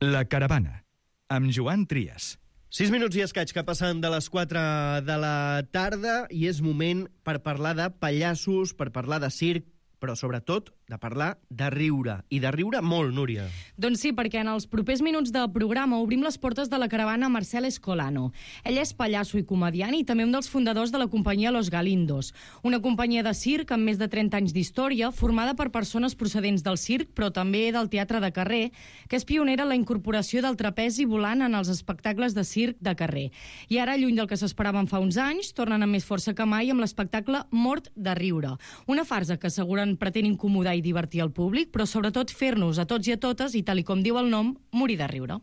La Caravana, amb Joan Trias. 6 minuts i escaig que passen de les 4 de la tarda i és moment per parlar de pallassos, per parlar de circ, però sobretot de parlar de riure, i de riure molt, Núria. Doncs sí, perquè en els propers minuts del programa obrim les portes de la caravana a Marcel Escolano. Ell és pallasso i comediant i també un dels fundadors de la companyia Los Galindos, una companyia de circ amb més de 30 anys d'història, formada per persones procedents del circ, però també del teatre de carrer, que és pionera en la incorporació del trapezi volant en els espectacles de circ de carrer. I ara, lluny del que s'esperaven fa uns anys, tornen amb més força que mai amb l'espectacle Mort de riure, una farsa que asseguren pretén incomodar i divertir el públic, però sobretot fer-nos a tots i a totes, i tal i com diu el nom, morir de riure.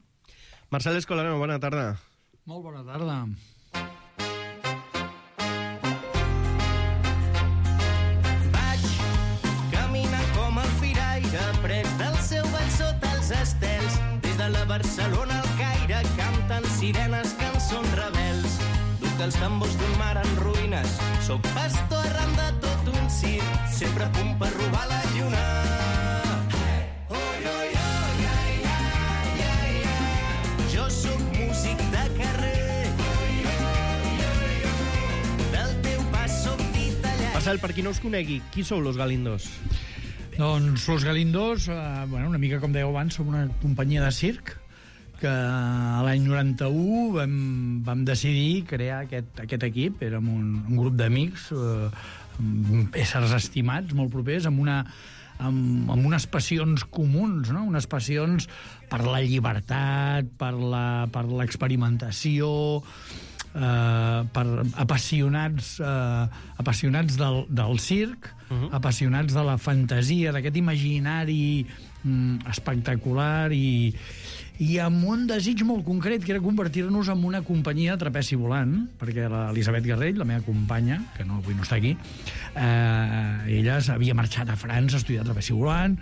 Marcel Escolano, bona tarda. Molt bona tarda. Vaig caminant com el firaire, pres del seu ball sota els estels, des de la Barcelona al Caire, canten sirenes, cançons rebels. Duc els tambors d'un mar en ruïnes, soc pastor arran de tot un circ, sempre a punt per robar la lluna. Jo sóc músic de carrer, del teu pas sóc titallà. Marcel, per qui no us conegui, qui sou Los Galindos? Doncs Los Galindos, una mica com dèieu abans, som una companyia de circ que l'any 91 vam decidir crear aquest equip. Érem un grup d'amics, éssers estimats, molt propers, amb unes passions comuns, no? Unes passions per la llibertat, per l'experimentació, apassionats del circ, apassionats de la fantasia, d'aquest imaginari espectacular i amb un desig molt concret, que era convertir-nos en una companyia de trapezi volant, perquè l'Elisabet Garrell, la meva companya, que avui no està aquí, ella havia marxat a França a estudiar trapezi volant,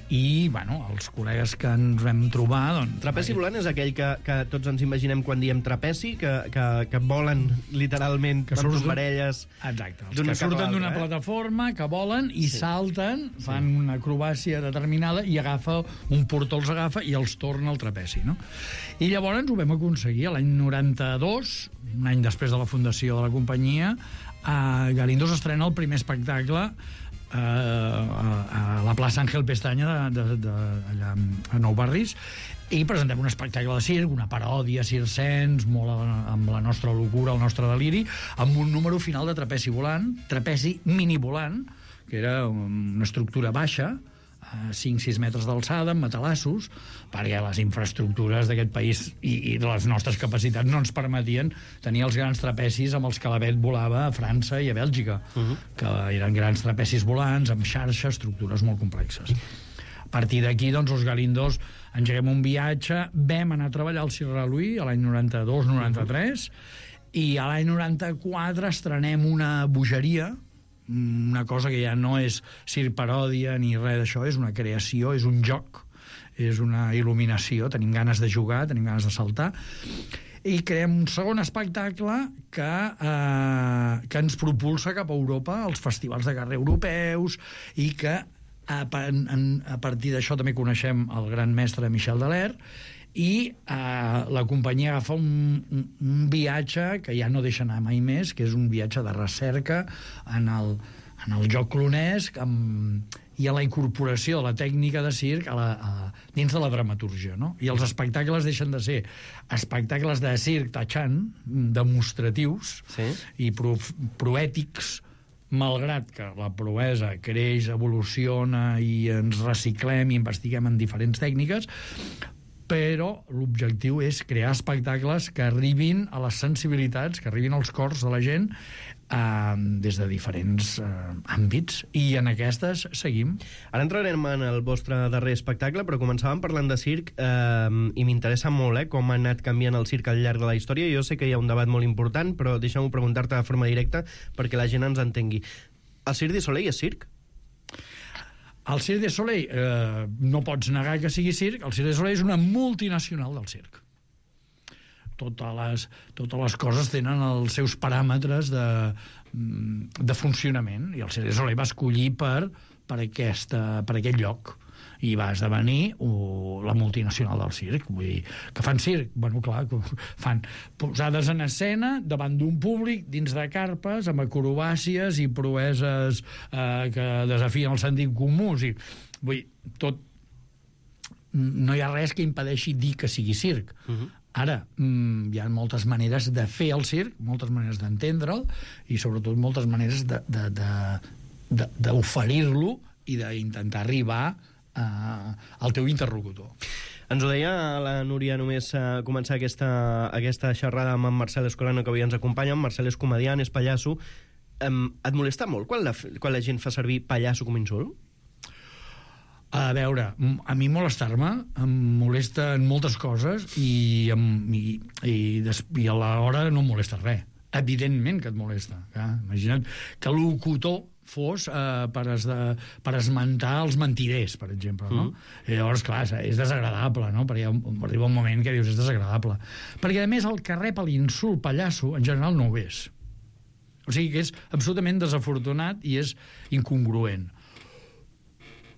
i, els col·legues que ens vam trobar... Trapezi volant és aquell que tots ens imaginem quan diem trapezi, que volen literalment amb tus parelles... Exacte, els que surten d'una plataforma, que volen i salten, fan una acrobàcia determinada i un portó els agafa i els torna al trapezi, no? I llavors ho vam aconseguir l'any 92, un any després de la fundació de la companyia. A Galindos estrena el primer espectacle a la plaça Àngel Pestanya allà a Nou Barris, i presentem un espectacle de circ, una paròdia circense, molt amb la nostra locura, el nostre deliri, amb un número final de trapezi volant, trapezi mini volant, que era una estructura baixa, 5-6 metres d'alçada, amb matalassos, perquè les infraestructures d'aquest país i les nostres capacitats no ens permetien tenir els grans trapezis amb els que la Bet volava a França i a Bèlgica, que eren grans trapezis volants, amb xarxa, estructures molt complexes. A partir d'aquí, doncs, els Galindos engeguem un viatge, vam anar a treballar al Circ Reluí a l'any 92-93, i a l'any 94 estrenem una bogeria, una cosa que ja no és circ paròdia ni res d'això, és una creació, és un joc, és una il·luminació, tenim ganes de jugar, tenim ganes de saltar, i creem un segon espectacle que ens propulsa cap a Europa, als festivals de carrer europeus, i que a partir d'això també coneixem el gran mestre Michel Dallaire, i la companyia agafa un viatge que ja no deixa anar mai més, que és un viatge de recerca en el joc clonesc i a la incorporació de la tècnica de circ dins de la dramatúrgia, no? I els espectacles deixen de ser espectacles de circ tachant, demostratius, i proètics, malgrat que la proesa creix, evoluciona i ens reciclem i investiguem en diferents tècniques, però l'objectiu és crear espectacles que arribin a les sensibilitats, que arribin als cors de la gent des de diferents àmbits, i en aquestes seguim. Ara entrarem en el vostre darrer espectacle, però començàvem parlant de circ, i m'interessa molt com ha anat canviant el circ al llarg de la història. Jo sé que hi ha un debat molt important, però deixa'm preguntar-te de forma directa perquè la gent ens entengui. El Cirque du Soleil és circ? El Cirque du Soleil, no pots negar que sigui circ. El Cirque du Soleil és una multinacional del circ. Totes les coses tenen els seus paràmetres de funcionament, i el Cirque du Soleil va escollir per aquest lloc. i va esdevenir la multinacional del circ. Vull dir, que fan circ? Bueno, clar, fan posades en escena davant d'un públic, dins de carpes, amb acrobàcies i proeses que desafien el sentit comú. Vull dir, tot... No hi ha res que impedeixi dir que sigui circ. Ara, hi ha moltes maneres de fer el circ, moltes maneres d'entendre'l i, sobretot, moltes maneres d'oferir-lo i d'intentar arribar al teu interlocutor. Ens ho deia la Núria només començar aquesta xerrada amb en Marcel Escolano, que avui ens acompanya. En Marcel és comediant, és pallasso. Et molesta molt quan la gent fa servir pallasso com a insult? A veure, a mi molestar-me em molesta en moltes coses i alhora no em molesta res. Evidentment que et molesta. Imagina't que el locutor fos per esmentar els mentiders, per exemple, no? I llavors, clar, és desagradable, no? Perquè arriba un moment que dius, és desagradable. Perquè, a més, el que rep l'insult pallasso, en general, no ho és. O sigui que és absolutament desafortunat i és incongruent.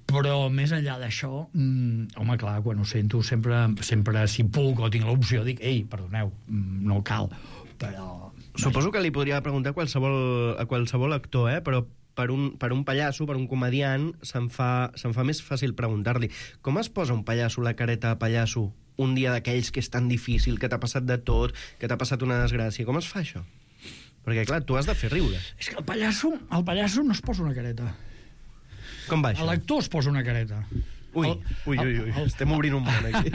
Però més enllà d'això, home, clar, quan ho sento, sempre si puc o tinc l'opció, dic, ei, perdoneu, no cal, però... Suposo que li podria preguntar a qualsevol actor, però per un pallasso, per un comediant, se'm fa més fàcil preguntar-li com es posa un pallasso la careta de pallasso un dia d'aquells que és tan difícil, que t'ha passat de tot, que t'ha passat una desgràcia. Com es fa això? Perquè, clar, tu has de fer riure. És que el pallasso no es posa una careta. Com va això? L'actor es posa una careta. Ui, estem obrint un món aquí.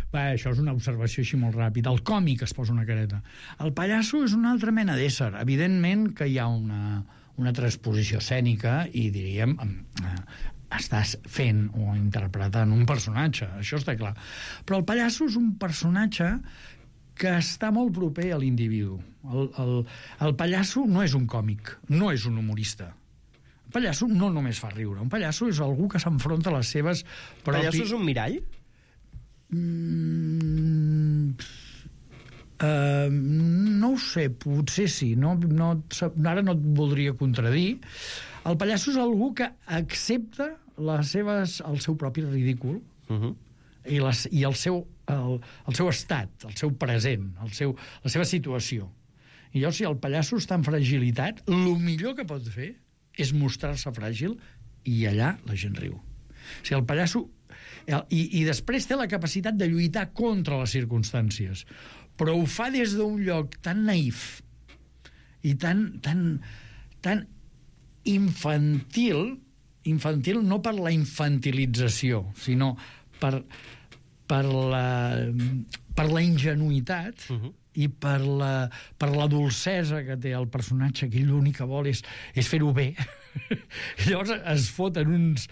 Va, això és una observació així molt ràpida. El còmic es posa una careta. El pallasso és una altra mena d'ésser. Evidentment que hi ha una transposició escènica i, diríem, estàs fent o interpretant un personatge, això està clar. Però el pallasso és un personatge que està molt proper a l'individu. El pallasso no és un còmic, no és un humorista. Un pallasso no només fa riure. Un pallasso és algú que s'enfronta a les seves pròpies... Pallasso és un mirall? No ho sé, potser sí. Ara no et voldria contradir. El pallasso és algú que accepta el seu propi ridícul i el seu estat, el seu present, la seva situació. I llavors, si el pallasso està en fragilitat, el millor que pot fer és mostrar-se fràgil i allà la gent riu. O sigui, el pallasso... I després té la capacitat de lluitar contra les circumstàncies, però ho fa des d'un lloc tan naïf i tan infantil no per la infantilització, sinó per la ingenuïtat i per la dolcesa que té el personatge, que ell l'únic que vol és fer-ho bé. I llavors es foten uns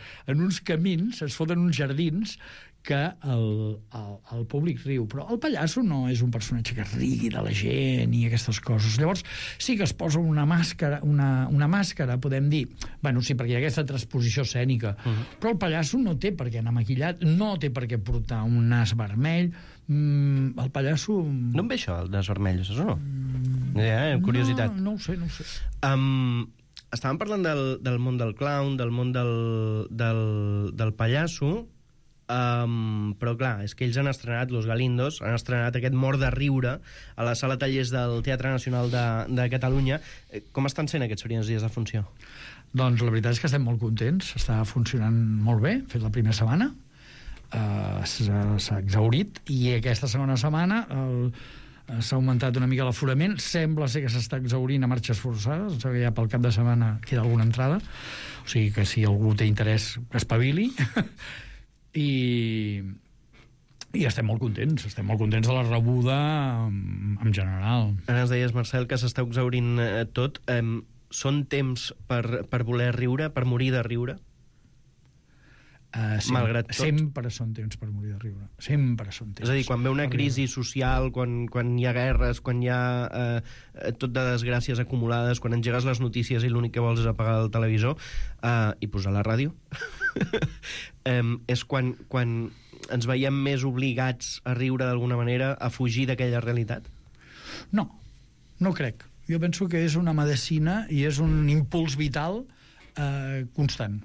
camins, es foten uns jardins que el públic riu. Però el pallasso no és un personatge que rigui de la gent i aquestes coses. Llavors sí que es posa una màscara, podem dir, bueno, sí, perquè hi ha aquesta transposició escènica, però el pallasso no té per què anar maquillat, no té per què portar un nas vermell. El pallasso... No em ve això, el nas vermell, saps o no? Curiositat. No ho sé. Estàvem parlant del món del clown, del món del pallasso, però clar, és que ells han estrenat, Los Galindos, han estrenat aquest Mort de riure a la Sala Tallers del Teatre Nacional de Catalunya. Com estan sent aquests primers dies de funció? Doncs la veritat és que estem molt contents, està funcionant molt bé, fet la primera setmana, s'ha exhaurit, i aquesta segona setmana s'ha augmentat una mica l'aforament, sembla ser que s'està exhaurint a marxes forçades, o sigui, ja pel cap de setmana queda alguna entrada, o sigui que si algú té interès que espavili. I estem molt contents de la rebuda en general. Ara ens deies, Marcel, que s'està exhaurint tot. Són temps per voler riure, per morir de riure? Malgrat tot. Sempre són temps per morir de riure. Sempre són temps. És a dir, quan ve una crisi social, quan hi ha guerres, quan hi ha tot de desgràcies acumulades, quan engegues les notícies i l'únic que vols és apagar el televisor i posar la ràdio, és quan ens veiem més obligats a riure d'alguna manera, a fugir d'aquella realitat? No crec. Jo penso que és una medecina i és un impuls vital constant.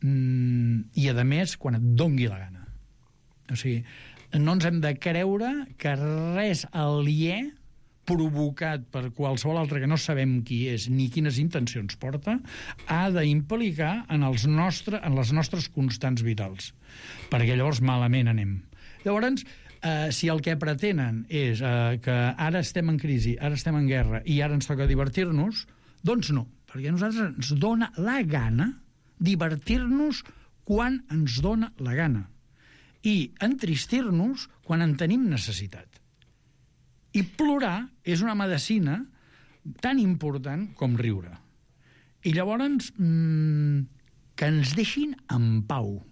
i, a més, quan et dongui la gana. O sigui, no ens hem de creure que res aliè provocat per qualsevol altre que no sabem qui és ni quines intencions porta, ha d'implicar en les nostres constants vitals, perquè llavors malament anem. Llavors, si el que pretenen és que ara estem en crisi, ara estem en guerra i ara ens toca divertir-nos, doncs no, perquè a nosaltres ens dona la gana divertir-nos quan ens dona la gana i entristir-nos quan en tenim necessitat. I plorar és una medicina tan important com riure. I llavors que ens deixin en pau,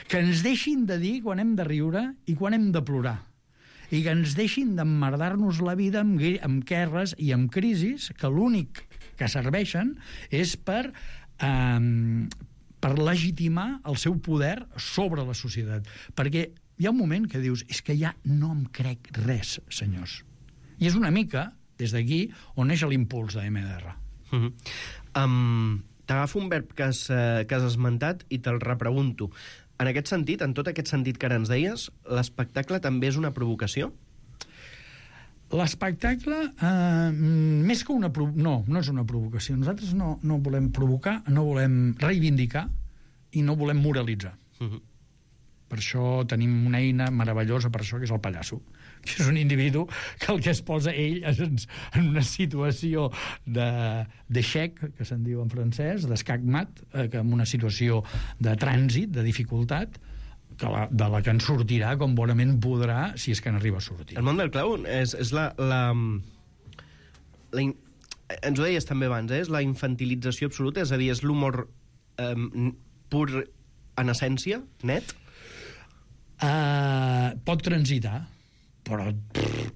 que ens deixin de dir quan hem de riure i quan hem de plorar, i que ens deixin d'emmerdar-nos la vida amb guerres i amb crisis, que l'únic que serveixen és per legitimar el seu poder sobre la societat. Perquè hi ha un moment que dius, és que ja no em crec res, senyors. I és una mica, des d'aquí, on neix l'impuls de MDR. T'agafo un verb que has esmentat i te'l repregunto. En aquest sentit, en tot aquest sentit que ara ens deies, l'espectacle també és una provocació? L'espectacle, més que una no és una provocació. Nosaltres no volem provocar, no volem reivindicar i no volem moralitzar. Per això tenim una eina meravellosa per això, que és el pallasso, que és un individu que el que es posa ell en una situació de xec, que se'n diu en francès, d'escac-mat, en una situació de trànsit, de dificultat, de la que en sortirà com bonament podrà, si és que n'arriba a sortir. El món del clau és ens ho deies també abans, és la infantilització absoluta, és a dir, és l'humor pur en essència, net? Pot transitar, però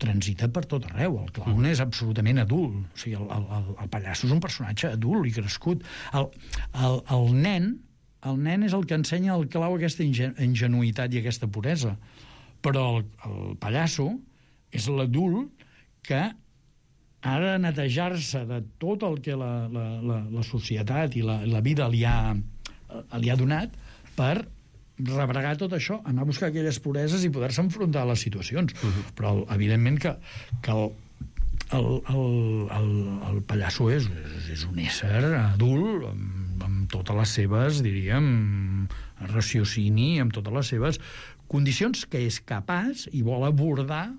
transita per tot arreu. El clown és absolutament adult. O sigui, el pallasso és un personatge adult i crescut. El nen és el que ensenya al clau aquesta ingenuïtat i aquesta puresa. Però el pallasso és l'adult que ha de netejar-se de tot el que la societat i la vida li ha donat per rebregar tot això, anar a buscar aquelles pureses i poder-se enfrontar a les situacions. Però, evidentment, que el pallasso és un ésser adult amb totes les seves, diríem, raciocini, amb totes les seves condicions, que és capaç i vol abordar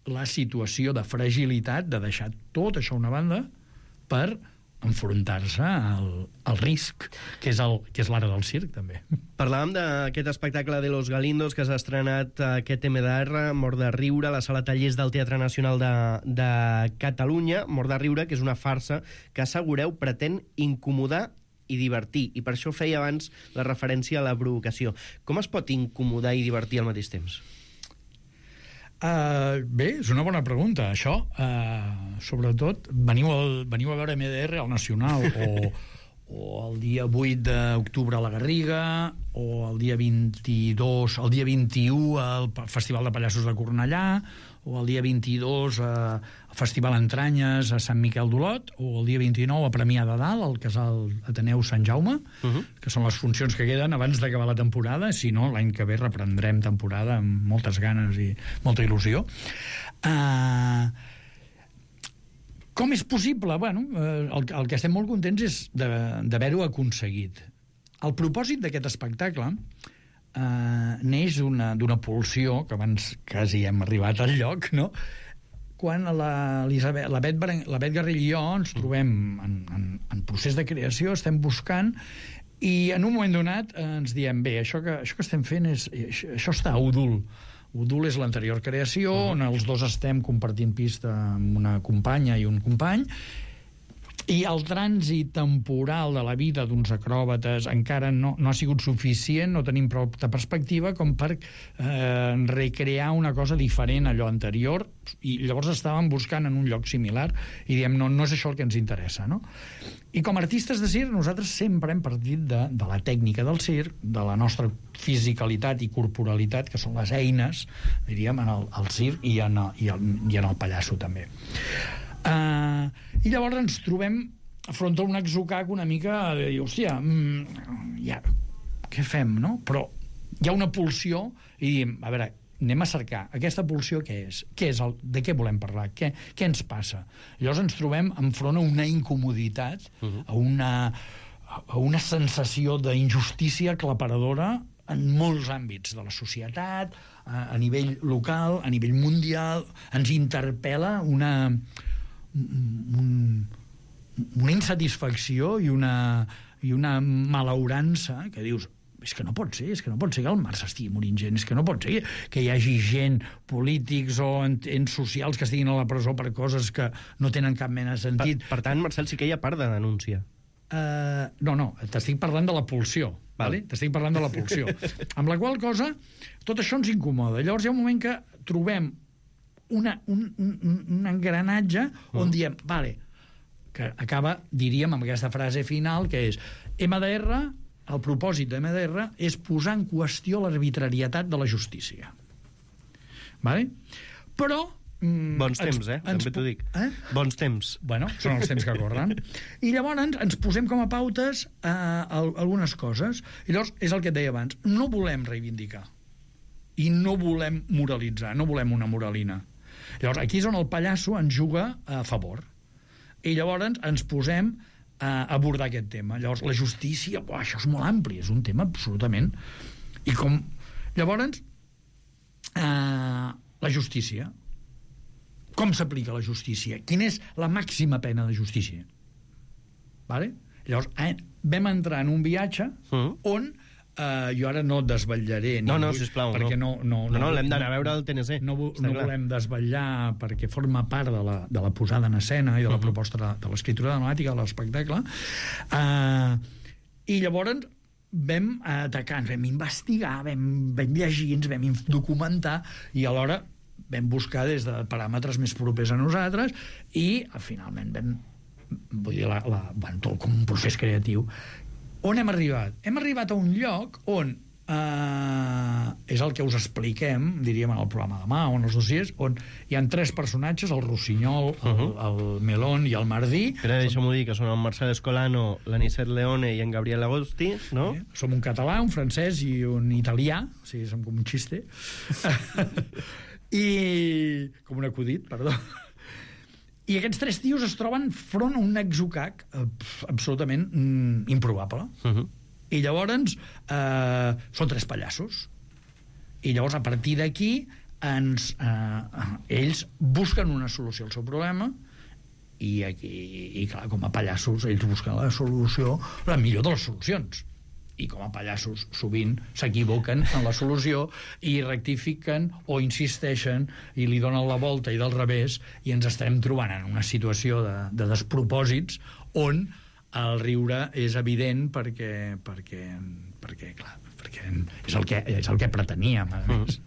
la situació de fragilitat, de deixar tot això a una banda per enfrontar-se al risc, que és l'ara del circ, també. Parlàvem d'aquest espectacle de Los Galindos que s'ha estrenat aquest MDR, Mort de riure, a la Sala Tallers del Teatre Nacional de Catalunya. Mort de riure, que és una farsa que, assegureu, pretén incomodar i divertir, i per això feia abans la referència a la provocació. Com es pot incomodar i divertir al mateix temps? Bé, és una bona pregunta. Això, sobretot, veniu a veure MDR al Nacional o el dia 8 d'octubre a la Garriga, o el dia 22, el dia 21 al Festival de Pallassos de Cornellà, o el dia 22 al Festival Entranyes a Sant Miquel d'Olot, o el dia 29 a Premià de Dalt, al Casal Ateneu Sant Jaume, que són les funcions que queden abans d'acabar la temporada. Si no, l'any que ve reprendrem temporada amb moltes ganes i molta il·lusió. Com és possible? Bueno, el que estem molt contents és d'haver-ho aconseguit. El propòsit d'aquest espectacle neix d'una pulsió, que abans quasi hem arribat al lloc, no? Quan la Bet Garrill i jo ens trobem en procés de creació, estem buscant, i en un moment donat ens diem, bé, això que estem fent, això està a Udul. Udul és l'anterior creació, on els dos estem compartint pista amb una companya i un company, i el trànsit temporal de la vida d'uns acròbates encara no ha sigut suficient, no tenim prou de perspectiva com per recrear una cosa diferent a allò anterior, i llavors estàvem buscant en un lloc similar i diem, no és això el que ens interessa, no? I com a artistes de circ nosaltres sempre hem partit de la tècnica del circ, de la nostra fisicalitat i corporalitat, que són les eines, diríem, en el circ i en el pallasso també. I llavors ens trobem front a un atzucac una mica de dir, hòstia, què fem, no? Però hi ha una pulsió i diem, a veure, anem a cercar aquesta pulsió què és? De què volem parlar? Què ens passa? Llavors ens trobem enfront a una incomoditat, a una sensació d'injustícia aclaparadora en molts àmbits de la societat, a nivell local, a nivell mundial. Ens interpel·la una insatisfacció i una malaurança que dius, és que no pot ser que al mar s'estigui morint gent, és que no pot ser que hi hagi gent, polítics o ens socials que estiguin a la presó per coses que no tenen cap mena de sentit. Per tant, Marcel, sí que hi ha part de denúncia. No, t'estic parlant de la pulsió. Vale? T'estic parlant de la pulsió. Amb la qual cosa, tot això ens incomoda. Llavors hi ha un moment que trobem un engranatge on diem, vale, que acaba, diríem, amb aquesta frase final, que és MDR, el propòsit de MDR és posar en qüestió l'arbitrarietat de la justícia. Vale? Però... Bons temps, també t'ho dic. Bons temps. Bueno, són els temps que corren. I llavors ens posem com a pautes algunes coses. I llavors, és el que et deia abans, no volem reivindicar. I no volem moralitzar, no volem una moralina. Llavors, aquí és on el pallasso ens juga a favor. I llavors ens posem a abordar aquest tema. Llavors, la justícia, això és molt ampli, és un tema absolutament... I com... Llavors, la justícia. Com s'aplica la justícia? Quina és la màxima pena de justícia? Vale? Llavors, vam entrar en un viatge on jo ara no desvetllaré... No, sisplau, perquè no, l'hem d'anar a veure al TNC. No volem desvetllar perquè forma part de la posada en escena i de la proposta de l'escriptura dramàtica, de l'espectacle. I llavors vam atacar, ens vam investigar, vam llegir, ens vam documentar i alhora vam buscar des de paràmetres més propers a nosaltres i finalment vam... Vull dir, tot com un procés creatiu. On hem arribat? Hem arribat a un lloc on és el que us expliquem, diríem, en el programa demà o en els dossiers, on hi ha 3 personatges, el Rossinyol, el Melón i el Mardí. Però deixa'm-ho dir, que són el Marcel Escolano, l'Anicet Leone i en Gabriel Agosti, no? Som un català, un francès i un italià, o sigui, som com un xiste. Com un acudit, perdó. I aquests 3 tios es troben front a un exocac absolutament improbable. I llavors són 3 pallassos. I llavors, a partir d'aquí, ells busquen una solució al seu problema i clar, com a pallassos, ells busquen la solució, la millor de les solucions. I com a pallassos sovint s'equivoquen en la solució i rectifiquen o insisteixen i li donen la volta i del revés i ens estem trobant en una situació de despropòsits on el riure és evident perquè és el que preteníem, a més.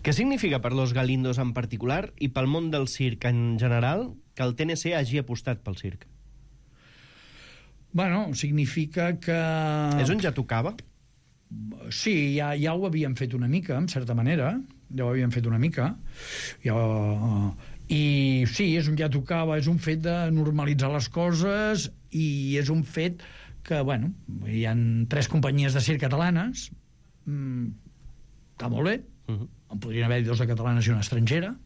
Què significa per Los Galindos en particular i pel món del circ en general que el TNC hagi apostat pel circ? Bueno, significa que... És on ja tocava? Sí, ja ho havíem fet una mica, en certa manera. Ja ho havíem fet una mica. I sí, és on ja tocava, és un fet de normalitzar les coses i és un fet que, bueno, hi ha 3 companyies de circ catalanes. Està molt bé. En podrien haver 2 de catalanes i una estrangera.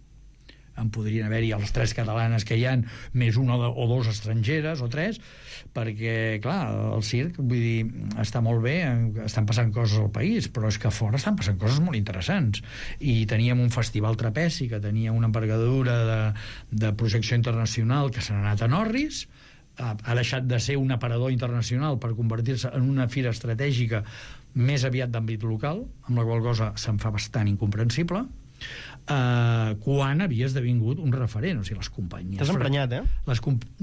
En podrien haver-hi les 3 catalanes que hi ha, més una o 2 estrangeres o 3, perquè, clar, el circ, vull dir, està molt bé, estan passant coses al país, però és que a fora estan passant coses molt interessants. I teníem un festival trapezi que tenia una envergadura de projecció internacional que se n'ha anat a Norris, ha deixat de ser un aparador internacional per convertir-se en una fira estratègica més aviat d'àmbit local, amb la qual cosa se'n fa bastant incomprensible. Quan havia esdevingut un referent, o sigui, les companyies... T'has emprenyat,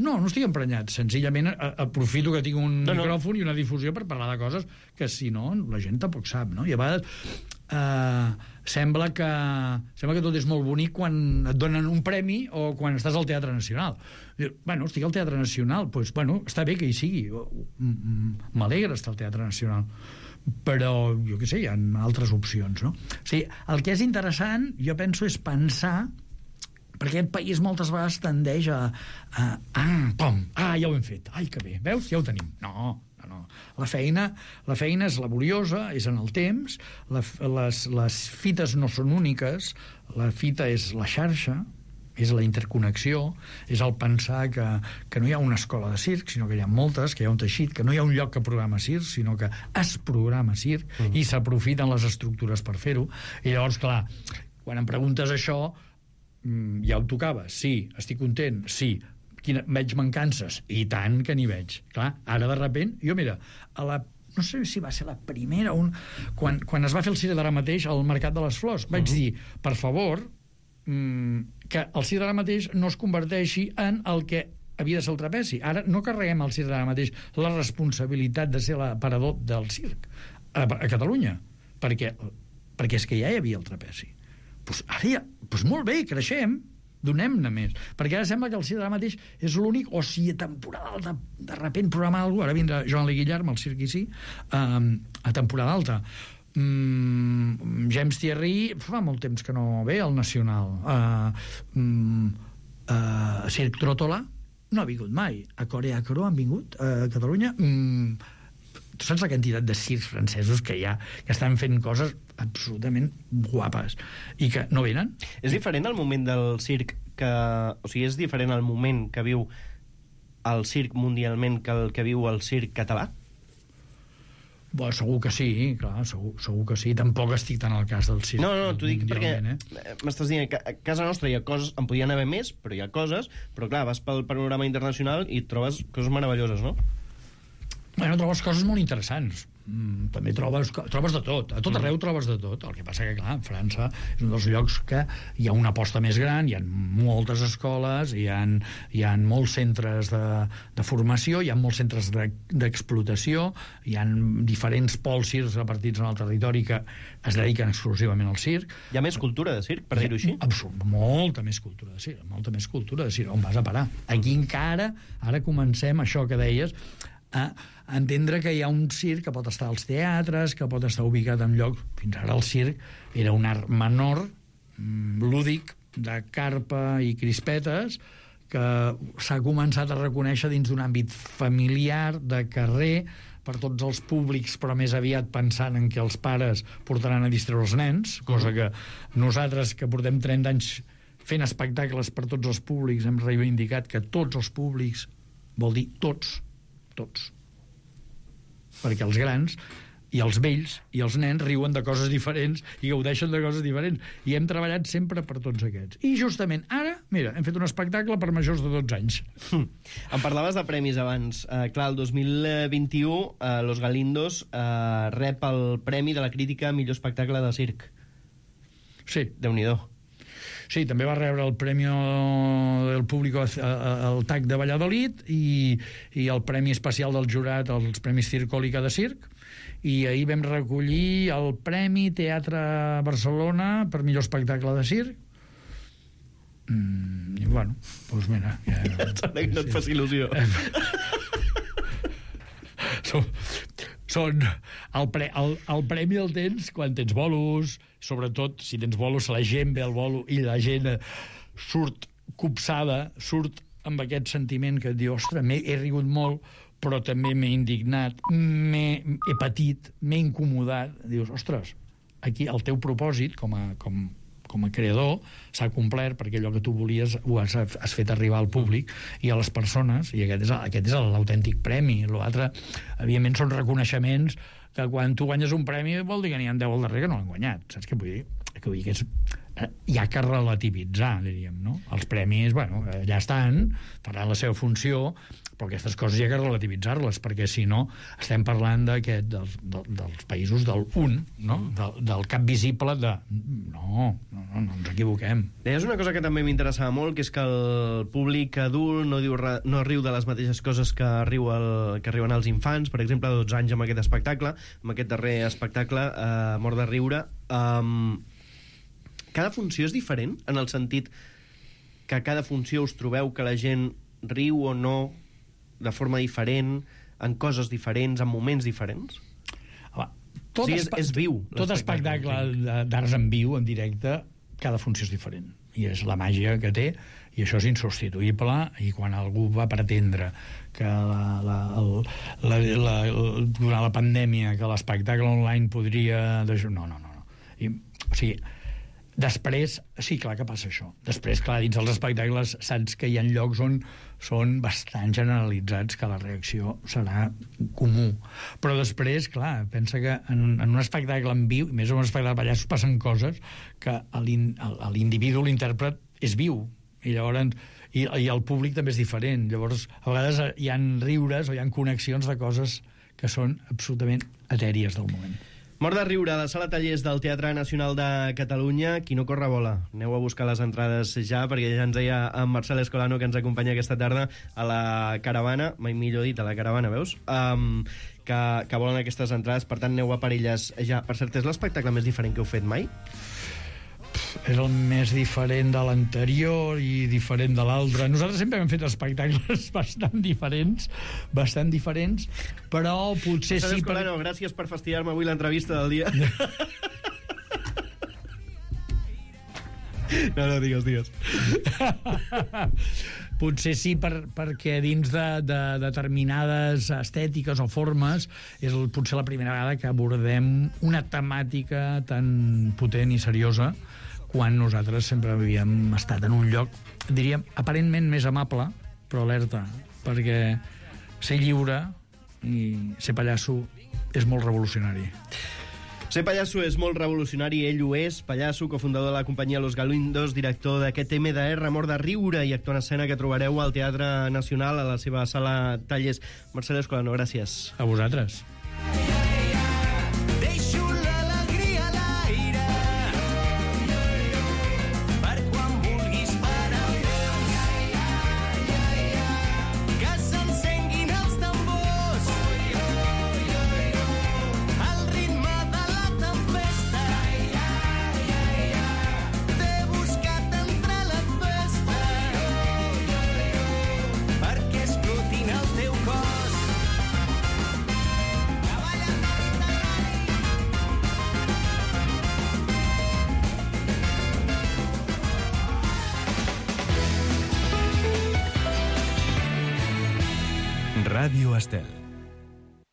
No estic emprenyat, senzillament aprofito que tinc un micròfon i una difusió per parlar de coses que, si no, la gent tampoc sap, no? I a vegades sembla que tot és molt bonic quan et donen un premi o quan estàs al Teatre Nacional. Bueno, estic al Teatre Nacional, doncs, bueno, està bé que hi sigui, m'alegra estar al Teatre Nacional, però, jo què sé, hi ha altres opcions, no? O sigui, el que és interessant, jo penso, és pensar, perquè aquest país moltes vegades tendeix ja ho hem fet, ai, que bé, veus, ja ho tenim. No, No. La feina és laboriosa, és en el temps, les fites no són úniques, la fita és la xarxa, és la interconnexió, és el pensar que no hi ha una escola de circ, sinó que hi ha moltes, que hi ha un teixit, que no hi ha un lloc que programa circ, sinó que es programa circ i s'aprofiten les estructures per fer-ho. I llavors, clar, quan em preguntes això, ja ho tocava. Sí, estic content, sí. Veig mancances? I tant que n'hi veig. Clar, ara de sobte, jo mira, no sé si va ser la primera, quan es va fer el circ d'ara mateix al Mercat de les Flors, vaig dir, per favor, que el circ d'ara mateix no es converteixi en el que havia de ser el trapezi. Ara no carreguem al circ d'ara mateix la responsabilitat de ser l'aparador del circ a Catalunya, perquè és que ja hi havia el trapezi. Doncs molt bé, creixem, donem-ne més, perquè ara sembla que el circ d'ara mateix és l'únic, o si a temporada alta de sobte programar alguna cosa, ara vindrà Joan-Louis Guillart el Circ Ici a temporada alta. James Thierry fa molt temps que no ve al Nacional. Circ Trotolà no ha vingut mai. A Corea Cro han vingut a Catalunya. Tu saps la quantitat de circs francesos que hi ha, que estan fent coses absolutament guapes i que no venen? És diferent el moment del circ o sigui, és diferent el moment que viu el circ mundialment que el que viu el circ català? Bé, segur que sí, clar, segur que sí. Tampoc estic tan al cas del circ. No, t'ho dic perquè m'estàs dient que a casa nostra hi ha coses, en podien haver més, però hi ha coses, però clar, vas pel panorama internacional i trobes coses meravelloses, no? Bueno, trobes coses molt interessants. També trobes de tot. A tot arreu trobes de tot. El que passa que, clar, França és un dels llocs que hi ha una aposta més gran, hi ha moltes escoles, hi ha molts centres de formació, hi ha molts centres d'explotació, hi ha diferents pols circs repartits en el territori que es dediquen exclusivament al circ. Hi ha més cultura de circ, per dir-ho així? Molta més cultura de circ, molta més cultura de circ. On vas a parar? Aquí encara, ara comencem això que deies, a entendre que hi ha un circ que pot estar als teatres, que pot estar ubicat en llocs... Fins ara el circ era un art menor, lúdic, de carpa i crispetes, que s'ha començat a reconèixer dins d'un àmbit familiar, de carrer, per tots els públics, però més aviat pensant en que els pares portaran a distreure els nens, cosa que nosaltres, que portem 30 anys fent espectacles per tots els públics, hem reivindicat que tots els públics vol dir tots, perquè els grans i els vells i els nens riuen de coses diferents i gaudeixen de coses diferents, i hem treballat sempre per tots aquests. I justament ara, mira, hem fet un espectacle per majors de 12 anys. Em parlaves de premis abans. Clar, el 2021 Los Galindos rep el premi de la crítica millor espectacle de circ. Sí. Déu-n'hi-do. Sí, també va rebre el Premi del Público al TAC de Valladolid i el Premi Especial del Jurat als Premis Circòlica de Circ, i ahir vam recollir el Premi Teatre Barcelona per millor espectacle de circ. I bueno, doncs mira... Sembla que no et fas il·lusió. El premi el tens quan tens bolos, sobretot si tens bolos, la gent ve al bolo i la gent surt copsada, surt amb aquest sentiment que et diu, ostres, he rigut molt, però també m'he indignat, he patit, m'he incomodat. Dius, ostres, aquí el teu propòsit com a creador s'ha complert, perquè allò que tu volies ho has fet arribar al públic i a les persones, i aquest és l'autèntic premi. L'altre, evidentment, són reconeixements que quan tu guanyes un premi vol dir que n'hi ha 10 al darrere que no l'han guanyat. Saps què vull dir? Que vull dir que hi ha que relativitzar, diríem, no? Els premis, bueno, ja estan, faran la seva funció, però aquestes coses hi ha que relativitzar-les, perquè si no estem parlant dels països del no? Del cap visible de... No ens equivoquem. Deies una cosa que també m'interessava molt, que és que el públic adult no riu de les mateixes coses que riuen els infants. Per exemple, 12 anys amb aquest espectacle, amb aquest darrer espectacle, Mort de riure. Cada funció és diferent, en el sentit que a cada funció us trobeu que la gent riu o no de forma diferent, en coses diferents, en moments diferents? És viu. Tot espectacle d'arts en viu, en directe, cada funció és diferent. i és la màgia que té, i això és insubstituïble, i quan algú va pretendre que durant la pandèmia que l'espectacle online podria... No. O sigui, després, sí, clar que passa això. Després, clar, dins dels espectacles saps que hi ha llocs on són bastant generalitzats, que la reacció serà comú. Però després, clar, pensa que en un espectacle en viu, més en un espectacle de pallassos, passen coses que l'individu, l'intèrpret, és viu. I llavors i el públic també és diferent. Llavors, a vegades hi ha riures o hi ha connexions de coses que són absolutament etèries del moment. Mort de riure, a la sala tallers del Teatre Nacional de Catalunya. Qui no corre vola. Aneu a buscar les entrades ja, perquè ja ens deia en Marcel Escolano, que ens acompanya aquesta tarda a la caravana, mai millor dit, a la caravana, veus? Que volen aquestes entrades, per tant aneu a per elles ja. Per cert, és l'espectacle més diferent que heu fet mai? És el més diferent de l'anterior i diferent de l'altre. Nosaltres sempre hem fet espectacles bastant diferents, però potser sí... Escolano, gràcies per fastidiar-me avui l'entrevista del dia. No, digues. Potser sí, perquè dins de determinades estètiques o formes és potser la primera vegada que abordem una temàtica tan potent i seriosa, quan nosaltres sempre havíem estat en un lloc, diríem, aparentment més amable, però alerta, perquè ser lliure i ser pallasso és molt revolucionari. Ser pallasso és molt revolucionari, ell ho és, pallasso, cofundador de la companyia Los Galindos, director d'aquest MDR, Mort de riure, i actor en escena que trobareu al Teatre Nacional, a la seva sala tallers. Marcel Escolano, gràcies. A vosaltres. Ràdio Estel.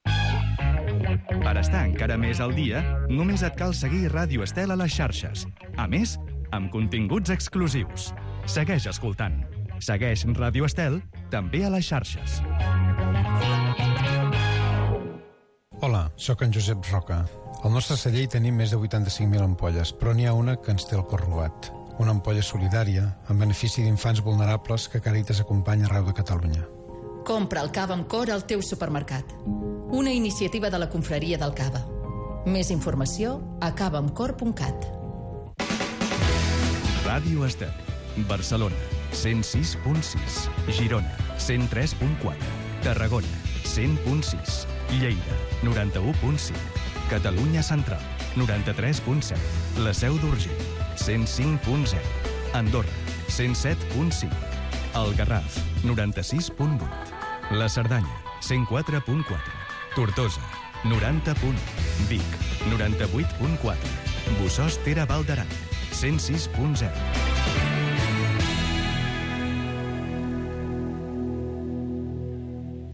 Per estar encara més al dia, només et cal seguir Ràdio Estel a les xarxes. A més, amb continguts exclusius. Segueix escoltant. Segueix Ràdio Estel també a les xarxes. Hola, sóc en Josep Roca. Al nostre celler hi tenim més de 85.000 ampolles, però n'hi ha una que ens té el cor robat. Una ampolla solidària, en benefici d'infants vulnerables que Càritas acompanya arreu de Catalunya. Compra el cava amb cor al teu supermercat. Una iniciativa de la confraria del cava. Més informació a cavaamcor.cat. Ràdio Estel. Barcelona, 106.6. Girona, 103.4. Tarragona, 100.6. Lleida, 91.5. Catalunya Central, 93.7. La Seu d'Urgell, 105.0. Andorra, 107.5. El Garraf, 96.8. La Cerdanya, 104.4. Tortosa, 90.1. Vic, 98.4. Bossòst Tere Val d'Aran, 106.0.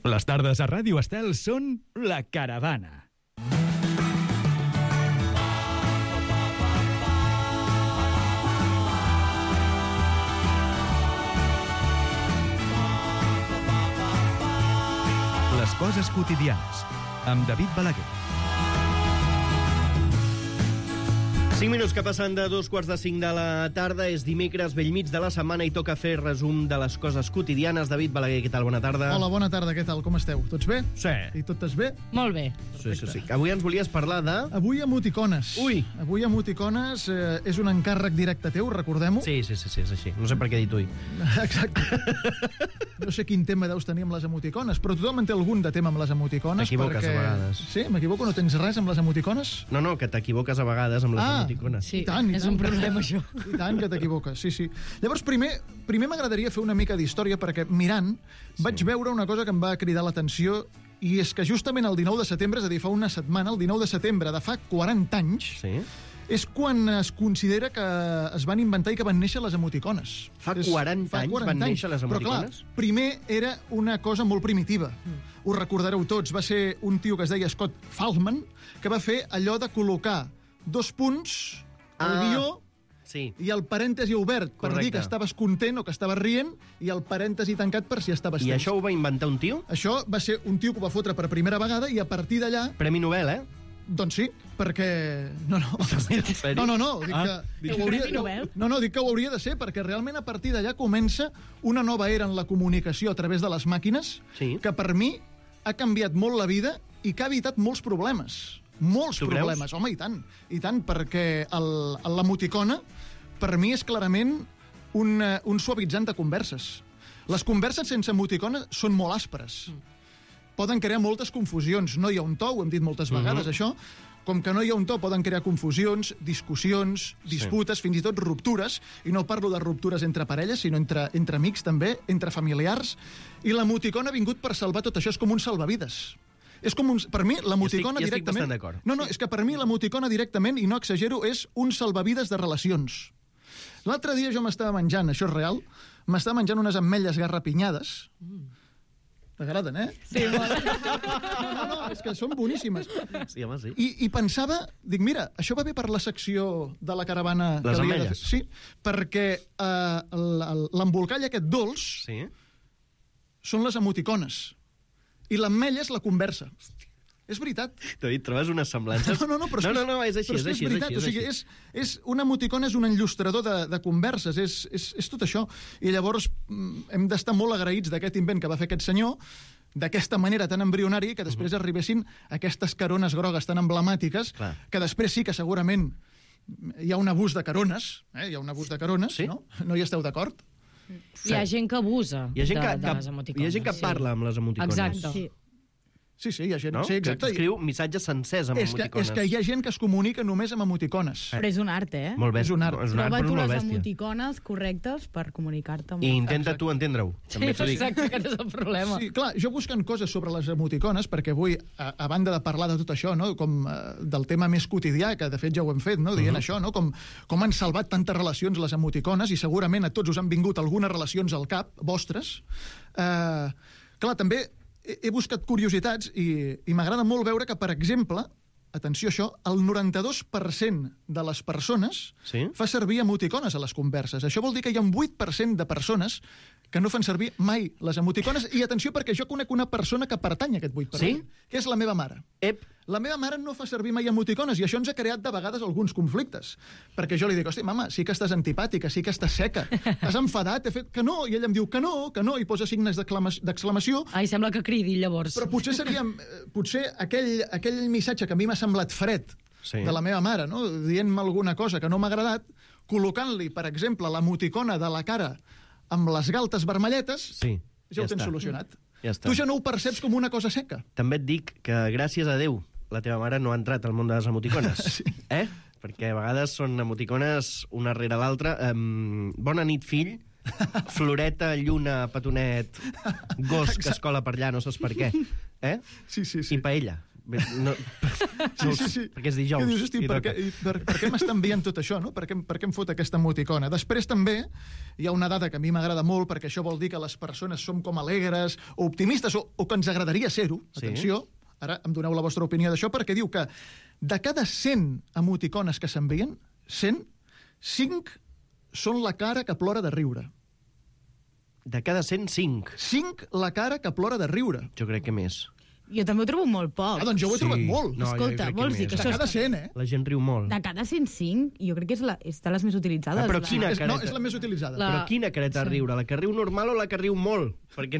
Les tardes a Ràdio Estel són La Caravana. Les coses quotidianes, amb David Balaguer. 5 minuts que passen de 2:45 de la tarda. És dimecres, bell mig de la setmana, i toca fer resum de les coses quotidianes. David Balaguer, què tal? Bona tarda. Hola, bona tarda, què tal? Com esteu? Tots bé? Sí. I totes bé? Molt bé. Sí. Avui ens volies parlar de... Avui emoticones. Ui! Avui emoticones és un encàrrec directe teu, recordem-ho. Sí, és així. No sé per què he dit ui. Exacte. No sé quin tema deus tenir amb les emoticones, però tothom en té algun de tema amb les emoticones. T'equivoques a vegades. Sí, m'equivoco? No tens res amb les emoticones? No, que t'equivoques a vegades amb les emoticones. Sí, I tant, és un problema, això. I tant que t'equivoques, sí. Llavors, primer m'agradaria fer una mica d'història, perquè mirant vaig veure una cosa que em va cridar l'atenció, i és que justament el 19 de setembre, és a dir, fa una setmana, el 19 de setembre de fa 40 anys, Sí. és quan es considera que es van inventar i que van néixer les emoticones. Fa 40 anys van néixer les emoticones? Però clar, primer era una cosa molt primitiva. Ho recordareu tots. Va ser un tio que es deia Scott Feldman, que va fer allò de col·locar 2 punts al guió i el parèntesi obert per dir que estaves content o que estaves rient i el parèntesi tancat per si estaves I això ho va inventar un tio? Això va ser un tio que ho va fotre per primera vegada i a partir d'allà... Premi Nobel, Doncs sí, perquè... No. Dic que ho hauria de ser, perquè realment a partir d'allà comença una nova era en la comunicació a través de les màquines que per mi ha canviat molt la vida i que ha evitat molts problemes. Molts problemes, home, i tant, perquè l'emoticona per mi és clarament un suavitzant de converses. Les converses sense emoticona són molt àsperes. Poden crear moltes confusions. No hi ha un to, ho hem dit moltes vegades, això. Com que no hi ha un to, poden crear confusions, discussions, disputes, fins i tot ruptures. I no parlo de ruptures entre parelles, sinó entre amics també, entre familiars. I l'emoticona ha vingut per salvar tot això. És com un salvavides. És com per mi, l'emoticona directament... estic bastant d'acord. No, és que per mi l'emoticona directament, i no exagero, és un salvavides de relacions. L'altre dia jo m'estava menjant, això és real, m'estava menjant unes ametlles garrapinyades. T'agraden, Sí, molt. No, és que són boníssimes. Sí, home, sí. I pensava, dic, mira, això va bé per la secció de la caravana... Les ametlles. Sí, perquè l'embolcall aquest dolç són les emoticones. I l'ametlla és la conversa. És veritat. David, trobes unes semblances? No, però és així, és així. Veritat. O sigui, una emoticona és un enllustrador de converses, és tot això. I llavors hem d'estar molt agraïts d'aquest invent que va fer aquest senyor, d'aquesta manera tan embrionària, que després arribessin aquestes carones grogues tan emblemàtiques, que després sí que segurament hi ha un abús de carones, hi ha un abús de carones, no? No hi esteu d'acord? Hi ha gent que abusa de les emoticones. Hi ha gent que parla amb les emoticones. Exacte. Sí, hi ha gent... No? Sí, exacte. Escriu missatges sencers amb emoticones. És que hi ha gent que es comunica només amb emoticones. Però és un art, Molt bé. És un art. Troba tu les emoticones correctes per comunicar-te amb... I intenta tu entendre-ho. Sí, exacte, aquest és el problema. Sí, clar, jo buscant coses sobre les emoticones, perquè avui, a banda de parlar de tot això, no, com del tema més quotidià, que de fet ja ho hem fet, no, dient això, no, com han salvat tantes relacions les emoticones, i segurament a tots us han vingut algunes relacions al cap, vostres. Clar, també he buscat curiositats i m'agrada molt veure que, per exemple, atenció a això, el 92% de les persones fa servir emoticones a les converses. Això vol dir que hi ha un 8% de persones que no fan servir mai les emoticones. I atenció, perquè jo conec una persona que pertany a aquest 8%, que és la meva mare. La meva mare no fa servir mai emoticones i això ens ha creat de vegades alguns conflictes. Perquè jo li dic, hosti, mama, sí que estàs antipàtica, sí que estàs seca, has enfadat, he fet que no, i ella em diu que no, i posa signes d'exclamació. Ai, sembla que cridi, llavors. Però potser seria aquell missatge que a mi m'ha semblat fred de la meva mare, no? Dient-me alguna cosa que no m'ha agradat, col·locant-li, per exemple, l'emoticona de la cara amb les galtes vermelletes, ja ho tens solucionat. Tu ja no ho perceps com una cosa seca. També et dic que, gràcies a Déu, la teva mare no ha entrat al món de les emoticones. Perquè a vegades són emoticones una rere l'altra. Bona nit, fill. Floreta, lluna, petonet, gos que es cola per allà, no saps per què. Sí. I paella. Sí. Perquè és dijous. Que dius, hosti, per què m'està enviant tot això, no? Per què em fot aquesta emoticona? Després també hi ha una dada que a mi m'agrada molt, perquè això vol dir que les persones som com alegres o optimistes, o que ens agradaria ser-ho. Atenció, ara em doneu la vostra opinió d'això, perquè diu que de cada 100 emoticones que s'envien, 5 són la cara que plora de riure. De cada 100, 5. 5 la cara que plora de riure. Jo crec que més. Jo també ho trobo molt poc. Doncs jo ho he trobat molt. No, escolta, vols dir que això... De cada 100, La gent riu molt. De cada 105, jo crec que és de les més utilitzades. Però quina careta? No, és la més utilitzada. Però quina careta de riure? La que riu normal o la que riu molt? Perquè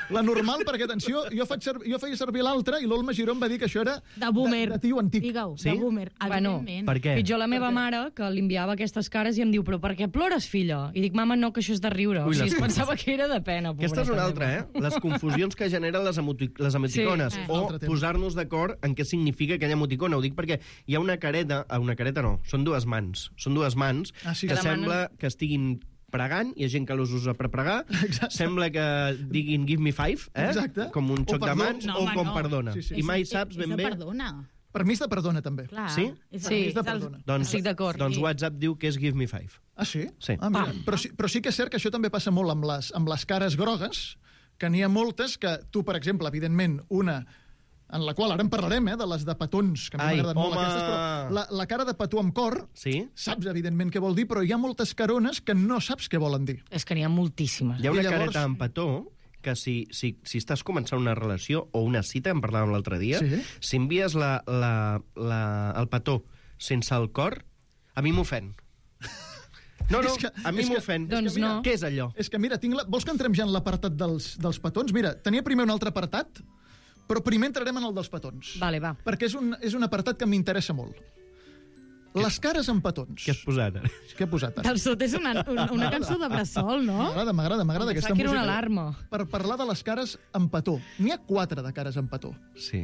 la normal, perquè, atenció, jo feia servir l'altra i l'Olma Giró em va dir que això era de boomer. De tio antic. Digue-ho, de boomer. Bueno, per què? Pitjor la meva mare, que li enviava aquestes cares i em diu, però per què plores, filla? I dic, mama, no, que això és de riure. O sigui, pensava que era de pena. Aquesta és una altra, Les confusions que generen les emoticones. O posar-nos d'acord en què significa aquella emoticona. Ho dic perquè hi ha una careta no, són dues mans. Són dues mans que sembla que estiguin pregant, hi ha gent que les usa per pregar. Sembla que diguin give me 5, com un xoc de mans, o com perdona. I mai saps ben bé... Perdona. Per mi és de perdona, també. Clar, Sí? Sí, és de perdona. estic d'acord. Doncs WhatsApp diu que és Give Me 5. Ah, sí? Sí. Ah, mira. Però sí que és cert que això també passa molt amb les cares grogues, que n'hi ha moltes que tu, per exemple, evidentment, una en la qual ara en parlarem, de les de petons, que a mi m'agraden molt aquestes, però la cara de petó amb cor, saps, evidentment, què vol dir, però hi ha moltes carones que no saps què volen dir. És que n'hi ha moltíssimes. Hi ha una careta amb petó que si estàs començant una relació o una cita, en parlàvem l'altre dia, si envies el petó sense el cor, a mi m'ofèn. No, a mi m'ofèn. Doncs no. Què és allò? És que, mira, vols que entrem ja en l'apartat dels petons? Mira, tenia primer un altre apartat, però primer entrarem en el dels petons. Vale, va. Perquè és un apartat que m'interessa molt. Les cares amb petons. Què has posat ara? Què he posat ara? Del sud és una cançó de Bressol, no? M'agrada aquesta música. Que era una alarma. Per parlar de les cares amb petó. N'hi ha 4 de cares amb petó. Sí.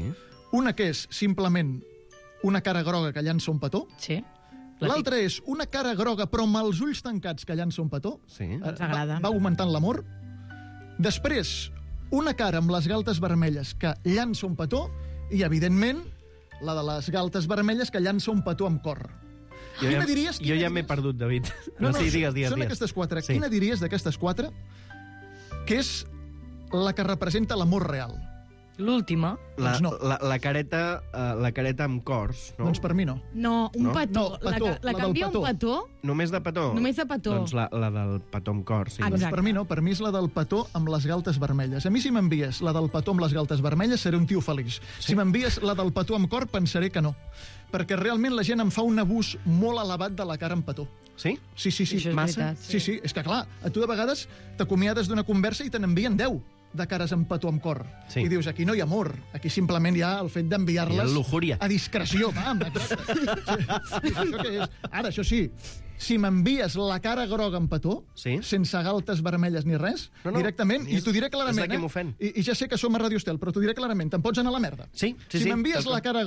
Una que és simplement una cara groga que llança un petó. Sí. L'altra és una cara groga però amb els ulls tancats que llança un petó. Sí. Ens agrada. Va augmentant l'amor. Després, una cara amb les galtes vermelles que llança un petó i, evidentment, la de les galtes vermelles que llança un petó amb cor. Jo ja m'he perdut, David. No, sí, digues. Són aquestes 4. Sí. Quina diries d'aquestes 4 que és la que representa l'amor real? L'última. Doncs no. La careta amb cors, no? Doncs per mi no. No, un petó. No, petó, La canvia un petó. Només de petó? Només de petó. Doncs la del petó amb cors. Sí. Doncs per mi no, per mi és la del petó amb les galtes vermelles. A mi si m'envies la del petó amb les galtes vermelles seré un tio feliç. Sí? Si m'envies la del petó amb cor pensaré que no. Perquè realment la gent em fa un abús molt elevat de la cara amb petó. Sí? Sí. Això és Massa? veritat, Sí, és que clar, a tu de vegades t'acomiades d'una conversa i te n'envien 10 de cares amb petó amb cor. Sí. I dius, aquí no hi ha amor, aquí simplement hi ha el fet d'enviar-les lujuria. a discreció. Això què és? Ara, això sí, si m'envies la cara groga amb petó, sense galtes vermelles ni res, directament, i t'ho diré clarament, i ja sé que som a Radio Estel, però t'ho diré clarament, te'n pots anar a la merda. Sí. Si m'envies la cara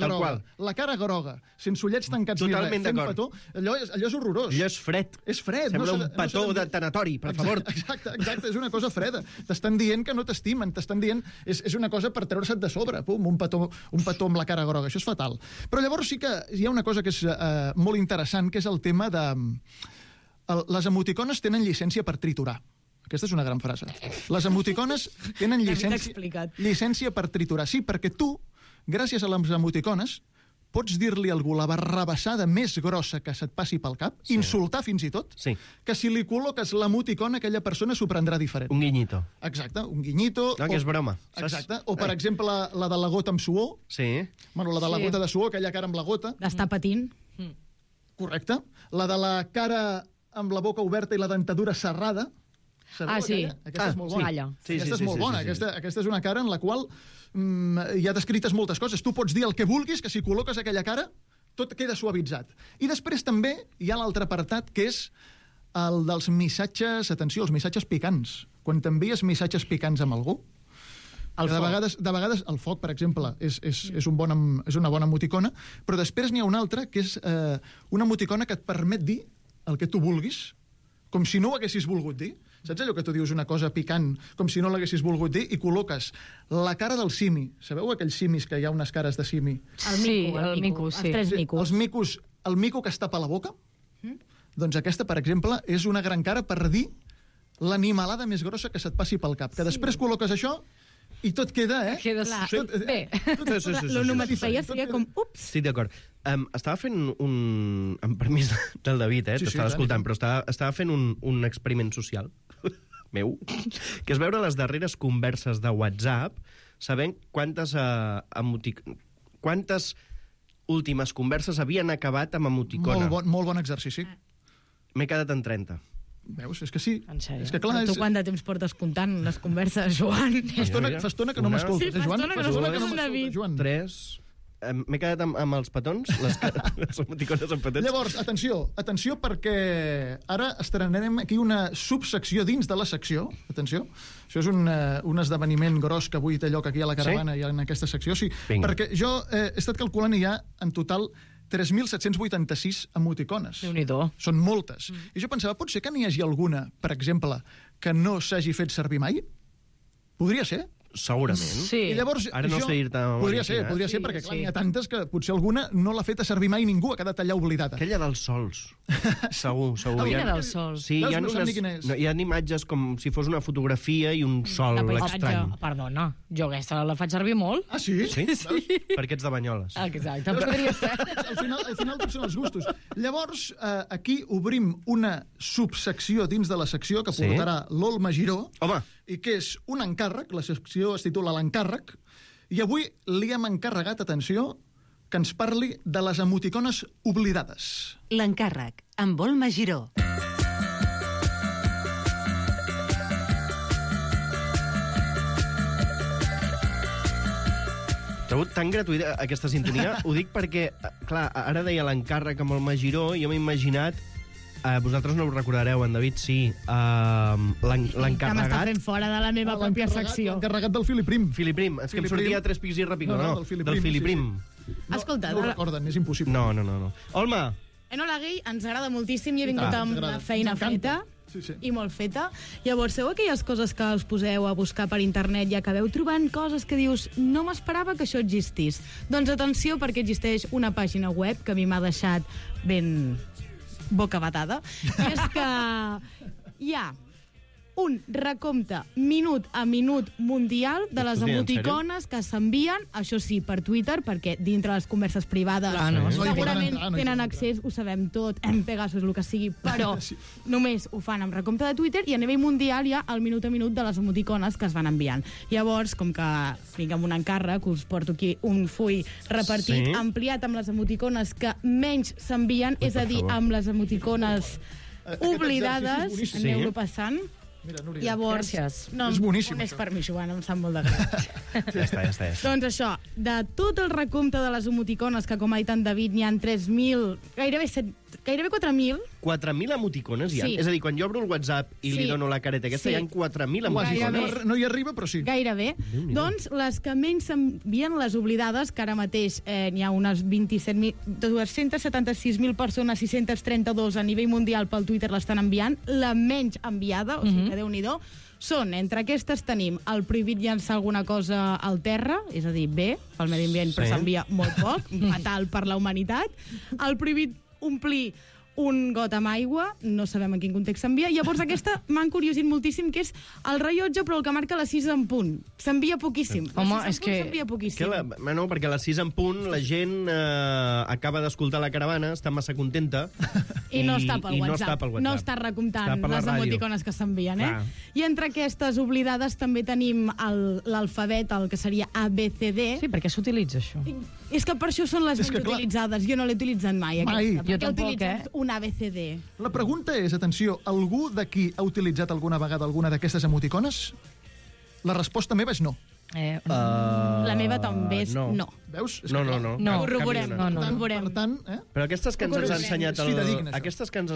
groga, sense ullets tancats ni res, fent petó, allò és horrorós. Allò és fred. És fred. Sembla un petó de tanatori, per favor. Exacte, és una cosa freda. T'estan dient que no t'estimen, t'estan dient... És una cosa per treure-se't de sobre, un petó amb la cara groga. Això és fatal. Però llavors sí que hi ha una cosa que és molt interessant, que és el tema de... Les emoticones tenen llicència per triturar. Aquesta és una gran frase. Les emoticones tenen llicència per triturar. Sí, perquè tu, gràcies a les emoticones, pots dir-li a algú la barrabassada més grossa que se't passi pel cap, insultar fins i tot, que si li col·loques l'emoticona aquella persona s'ho prendrà diferent. Un guinyito. Exacte, un guinyito. No, que és broma. Exacte. O, per exemple, la de la gota amb suor. Sí. Bueno, la de la gota de suor, aquella cara amb la gota. Està patint. Correcte. La de la cara amb la boca oberta i la dentadura serrada. Sí. Aquesta és molt bona. Aquesta és molt bona. Aquesta és una cara en la qual hi ha descrites moltes coses. Tu pots dir el que vulguis, que si col·loques aquella cara, tot queda suavitzat. I després també hi ha l'altre apartat, que és el dels missatges, atenció, els missatges picants. Quan t'envies missatges picants amb algú, de vegades el foc, per exemple, és una bona emoticona, però després n'hi ha una altra, que és una emoticona que et permet dir el que tu vulguis, com si no ho haguessis volgut dir. Saps allò que tu dius una cosa picant, com si no l'haguessis volgut dir, i col·loques la cara del simi. Sabeu aquells simis que hi ha unes cares de simi? El mico, sí. Els 3 micos. Els micos, el mico que es tapa la boca, doncs aquesta, per exemple, és una gran cara per dir l'animalada més grossa que se't passi pel cap. Que després col·loques això i tot queda, Bé. L'onomatopeia seria com, ups. Sí, d'acord. Estava fent amb permís del David, t'estava escoltant, però estava fent un experiment social meu, que és veure les darreres converses de WhatsApp, sabent quantes últimes converses havien acabat amb emoticona. Molt bon exercici. M'he quedat en 30. Veus? És que sí. En sèrio? És que clar, tu quant de temps portes comptant les converses, Joan? Fa estona que no m'escoltes, Joan? Fa estona que no m'escoltes, Joan. 3... M'he quedat amb els petons, les emoticones amb petons. Llavors, atenció, perquè ara estrenarem aquí una subsecció dins de la secció. Atenció, això és un esdeveniment gros que avui té lloc aquí a la caravana i en aquesta secció. Sí, perquè jo he estat calculant i hi ha en total 3.786 emoticones. Déu-n'hi-do. Són moltes. I jo pensava, pot ser que n'hi hagi alguna, per exemple, que no s'hagi fet servir mai? Podria ser. Segurament. Sí. I llavors, Ara no això sé dir-te... podria ser, perquè clar, n'hi ha tantes que potser alguna no l'ha fet a servir mai ningú, ha quedat allà oblidada. Aquella dels sols. Segur. Quina dels sols? Sí, Veus, hi ha, no sap ni quina és. hi ha imatges com si fos una fotografia i un sol De paisatge. estrany. Perdona, jo aquesta la faig servir molt. Ah, sí? Sí? Perquè ets de Banyoles. Exacte, podria ser. Al final tots són els gustos. Llavors, aquí obrim una subsecció dins de la secció que Sí. portarà l'Olma Giró, Home, i que és un encàrrec, la secció es titula l'encàrrec, i avui li hem encarregat, atenció, que ens parli de les emoticones oblidades. L'encàrrec, amb Olma Giró. trobo tan gratuïta aquesta sintonia. Ho dic perquè, clar, ara deia l'encàrrec amb el Magiró, i jo m'he imaginat, vosaltres no ho recordareu, en David sí, Que m'està l'encarregat... fent fora de la meva pròpia secció. L'encarregat del Filiprim. Filiprim, és que em Filiprim. sortia tres pics i repico, No, no? del Filiprim, Del Filiprim. Escolta, No ho recorden, és impossible. No. Olma, Enola Gay ens agrada moltíssim i he vingut tant, amb ens agrada. la feina Ens encanta. feta. Sí. I molt feta. Llavors, sabeu aquelles coses que us poseu a buscar per internet i acabeu trobant coses que dius no m'esperava que això existís? Doncs atenció, perquè existeix una pàgina web que a mi m'ha deixat ben bocabatada. I és que hi ha un recompte minut a minut mundial de les Estàs dient, en emoticones que s'envien, això sí, per Twitter, perquè dintre les converses privades no, no hi segurament poden entrar, no hi tenen poden accés, ho sabem tot, en Pegasus, el que sigui, però Sí. només ho fan amb recompte de Twitter i a nivell mundial hi ha el minut a minut de les emoticones que es van enviant. Llavors, com que vinc amb un encàrrec, us porto aquí un full repartit, Sí. ampliat amb les emoticones que menys s'envien, és a dir, favor. amb les emoticones Aquest oblidades, exercici és boníssim. aneu-lo passant. Mira, Núria. Llavors, Gràcies. no, És boníssim, un és això. per mi, Joan, em sap molt de greu. ja està. Doncs això, de tot el recompte de les emoticones, que com ha dit en David, n'hi ha 3.000, gairebé 4.000, 4.000 emoticones hi ha. Sí. És a dir, quan jo obro el WhatsApp i li Sí. dono la careta aquesta, Sí. hi ha 4.000 Quasi, emoticones. no hi arriba, però sí. gairebé. Doncs les que menys s'envien, les oblidades, que ara mateix n'hi ha unes 276.000 persones, 632 a nivell mundial pel Twitter l'estan enviant, la menys enviada, o sigui que Déu-n'hi-do, són, entre aquestes tenim el prohibit llançar alguna cosa al terra, és a dir, bé, pel medi ambient, però Sí. s'envia molt poc, fatal per la humanitat, el prohibit omplir un got amb aigua, no sabem en quin context s'envia. Llavors aquesta m'ha encuriosit moltíssim, que és el rellotge, però el que marca les 6 en punt. S'envia poquíssim. Home, Les 6 en és punt que- s'envia Que poquíssim. no, perquè a les 6 en punt la gent acaba d'escoltar la caravana, està massa contenta I no està pel i no WhatsApp. està pel WhatsApp. No està recomptant Està per la les ràdio. emoticones que s'envien, Clar. I entre aquestes oblidades també tenim l'alfabet, el que seria ABCD. Sí, per què s'utilitza això? És que per això són les És menys que, clar, utilitzades. Jo no l'he utilitzat mai, Mai. aquesta. Jo Per què tampoc, utilitzes un ABCD? La pregunta és, atenció, algú d'aquí ha utilitzat alguna vegada alguna d'aquestes emoticones? La resposta meva és no. La meva també és no. Veus? És No, que, no, clar, no. No. Corroborem. Cap ni una. Per tant, Però aquestes que ens has Corroborem. ensenyat És fidedigna, això. aquestes que ens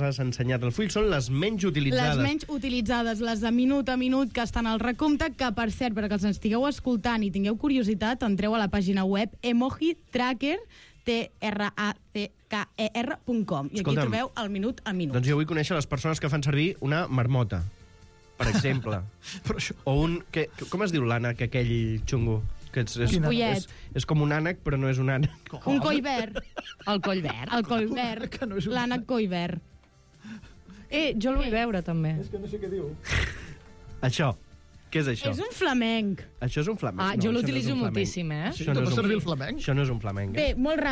has ensenyat al full són les menys utilitzades. Les menys utilitzades, les de minut a minut que estan al recompte, que per cert, perquè els estigueu escoltant i tingueu curiositat, entreu a la pàgina web emojitracker, tracker.com, i aquí Escolta'm, trobeu el minut a minut. Doncs jo vull conèixer les persones que fan servir una marmota, per exemple. però això... O un... Com es diu l'ànec, aquell xungo? Que Quin Pollet. és com un ànec, però no és un ànec. Un coll verd. El coll verd. El coll verd. Que no és un- L'ànec coll verd. Jo el vull veure, també. És que no sé què diu. Això. Què és això? És un flamenc. Això és un flamenc. Ah, no, jo això l'utilitzo no és un flamenc. moltíssim, eh? Sí, Això te no fa és un- servir el flamenc? Això no és un flamenc. Bé, molt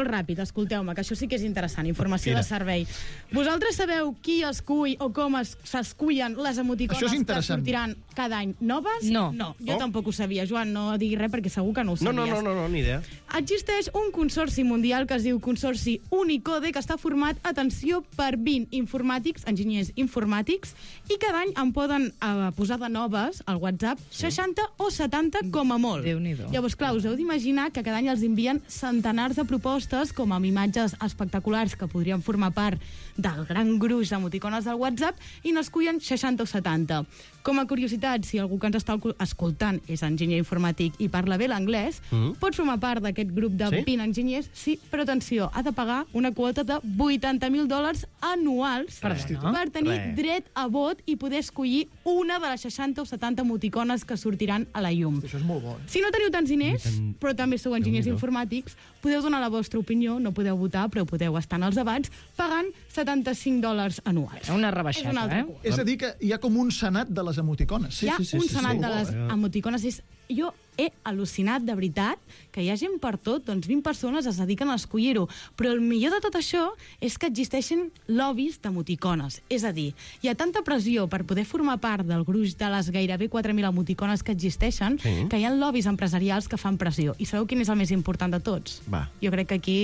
ràpid, escolteu-me, que això sí que és interessant, informació Mira. de servei. Vosaltres sabeu qui escull o com s'escullen les emoticones Això és que interessant. sortiran cada any noves? No. Jo tampoc ho sabia, Joan, no diguis res perquè segur que no ho No, sabies. no, ni idea. Existeix un consorci mundial que es diu Consorci Unicode, que està format, atenció, per 20 informàtics, enginyers informàtics, i cada any en poden posar de noves al WhatsApp 60 o 70 com a molt. Déu-n'hi-do. Llavors, clar, us heu d'imaginar que cada any els envien centenars de propostes, com amb imatges espectaculars que podrien formar part del gran gruix d'emoticones del WhatsApp, i n'escullen 60 o 70. Com a curiositat, si algú que ens està escoltant és enginyer informàtic i parla bé l'anglès, pot formar part d'aquest grup de Sí? 20 enginyers, sí, però atenció, ha de pagar una quota de $80.000 anuals Perdona? per tenir Res. dret a vot i poder escollir una de les 60 o 70 emoticones que sortiran a la llum. Això és molt bo. Si no teniu tants diners, però també sou enginyers informàtics, podeu donar la vostra opinió, no podeu votar, però podeu estar en els debats, pagant $75 anuals. Una rebaixeta, És a dir, que hi ha com un senat de les emoticones. Hi ha un senat de les emoticones. Jo he al·lucinat, de veritat, que hi ha gent per tot, doncs 20 persones es dediquen a escollir-ho. Però el millor de tot això és que existeixen lobbies d'emoticones. És a dir, hi ha tanta pressió per poder formar part del gruix de les gairebé 4.000 emoticones que existeixen, que hi ha lobbies empresarials que fan pressió. I sabeu quin és el més important de tots? Va. Jo crec que aquí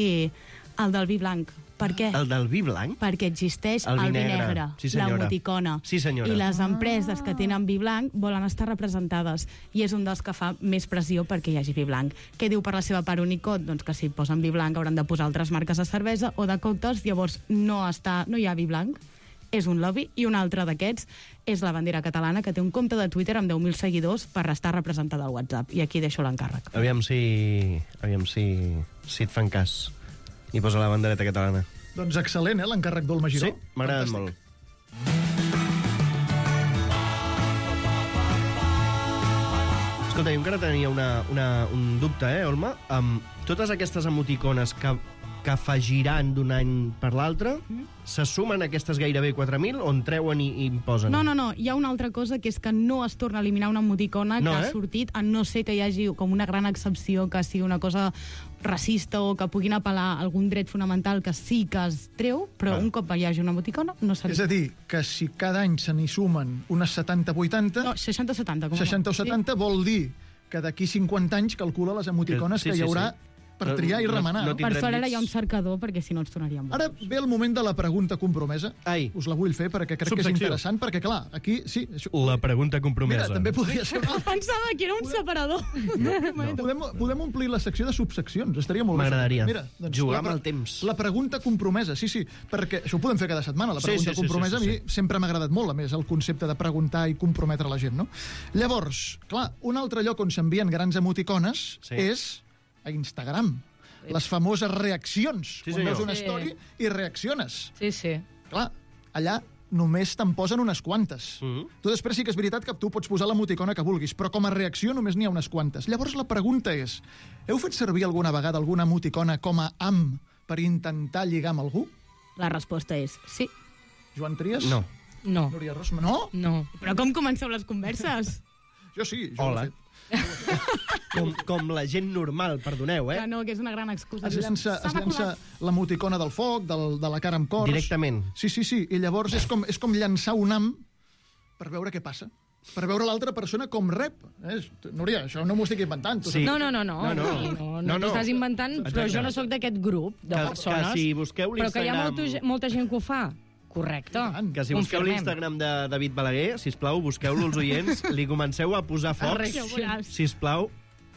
el del vi blanc. Per què? El del vi blanc? Perquè existeix el vi negre, sí, l'emoticona. Sí, senyora. I les empreses que tenen vi blanc volen estar representades. I és un dels que fa més pressió perquè hi hagi vi blanc. Què diu per la seva part Unicot? Doncs que si posen vi blanc hauran de posar altres marques de cervesa o de còctels, llavors no hi ha vi blanc. És un lobby, i un altre d'aquests és la bandera catalana, que té un compte de Twitter amb 10.000 seguidors per estar representada al WhatsApp. I aquí deixo l'encàrrec. Aviam si et fan cas i posa la bandereta catalana. Doncs excel·lent, l'encàrrec d'Olma Giró. Sí, m'ha agradat molt. Escolta, jo encara tenia un dubte, Olma? Amb totes aquestes emoticones que afegiran d'un any per l'altre, se sumen aquestes gairebé 4.000 o en treuen i imposen? No. Hi ha una altra cosa, que és que no es torna a eliminar una emoticona que ha sortit, a no ser que hi hagi com una gran excepció, que sigui una cosa racista o que puguin apel·lar a algun dret fonamental que sí que es treu, però un cop hi hagi una emoticona no s'ha... És a dir, que si cada any se n'hi sumen unes 70-80... No, 60-70. 60 o 70 vol dir que d'aquí 50 anys calcula les emoticones que hi haurà per triar i remenar. Per sort ara hi ha un cercador, perquè si no ens tornaríem bons. Ara ve el moment de la pregunta compromesa. Us la vull fer perquè crec que és interessant, perquè, clar, aquí... sí. La pregunta compromesa. Mira, també podria ser... Pensava que era un separador. Podem omplir la secció de subseccions, estaria molt bé. M'agradaria. Jugar amb el temps. La pregunta compromesa, sí, perquè això ho podem fer cada setmana, la pregunta compromesa. A mi sempre m'ha agradat molt, a més, el concepte de preguntar i comprometre la gent, no? Llavors, clar, un altre lloc on s'envien grans emoticones és a Instagram. Les famoses reaccions. Quan veus una story i reacciones. Sí. Clar, allà només te'n posen unes quantes. Tu després sí que és veritat que tu pots posar l'emoticona que vulguis, però com a reacció només n'hi ha unes quantes. Llavors la pregunta és, heu fet servir alguna vegada alguna emoticona com a am per intentar lligar amb algú? La resposta és sí. Joan Trias? No. Núria Ros? No? No. Però com comenceu les converses? Jo sí, Hola. Com la gent normal, perdoneu, Que no, que és una gran excusa. Es llança l'emoticona del foc, de la cara amb cors. Directament. Sí, i llavors és com llançar un am per veure què passa. Per veure l'altra persona com rep. Núria, això no m'ho estic inventant. No, t'ho estàs inventant, però jo no sóc d'aquest grup de persones. Que si busqueu l'Instagram... Però que hi ha molta gent que ho fa. Correcte. Que si busqueu l'Instagram de David Balaguer, sisplau, busqueu-lo els oients, li comenceu a posar focs, sisplau.